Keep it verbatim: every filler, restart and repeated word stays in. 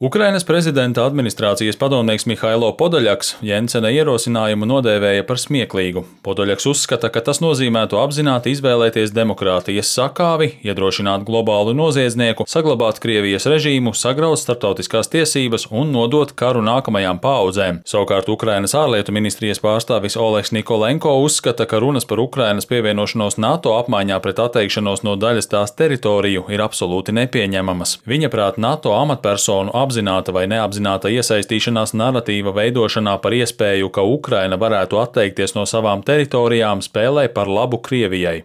Ukrainas prezidenta administrācijas padomnieks Mihailo Podoļaks Jensena ierosinājumu nodēvēja par smieklīgu. Podoļaks uzskata, ka tas nozīmētu apzināti izvēlēties demokrātijas sakāvi, iedrošināt globālu noziedznieku, saglabāt Krievijas režīmu, sagraut starptautiskās tiesības un nodot karu nākamajām paaudzēm. Savukārt Ukrainas ārlietu ministrijas pārstāvis Oleks Nikolenko uzskata, ka runas par Ukrainas pievienošanos NATO apmaiņā pret atteikšanos no daļas tās teritoriju ir absolūti nepieņemamas. Viņa prāt NATO amatpersonu apzināta vai neapzināta iesaistīšanās naratīva veidošanā par iespēju, ka Ukraina varētu atteikties no savām teritorijām, spēlē par labu Krievijai.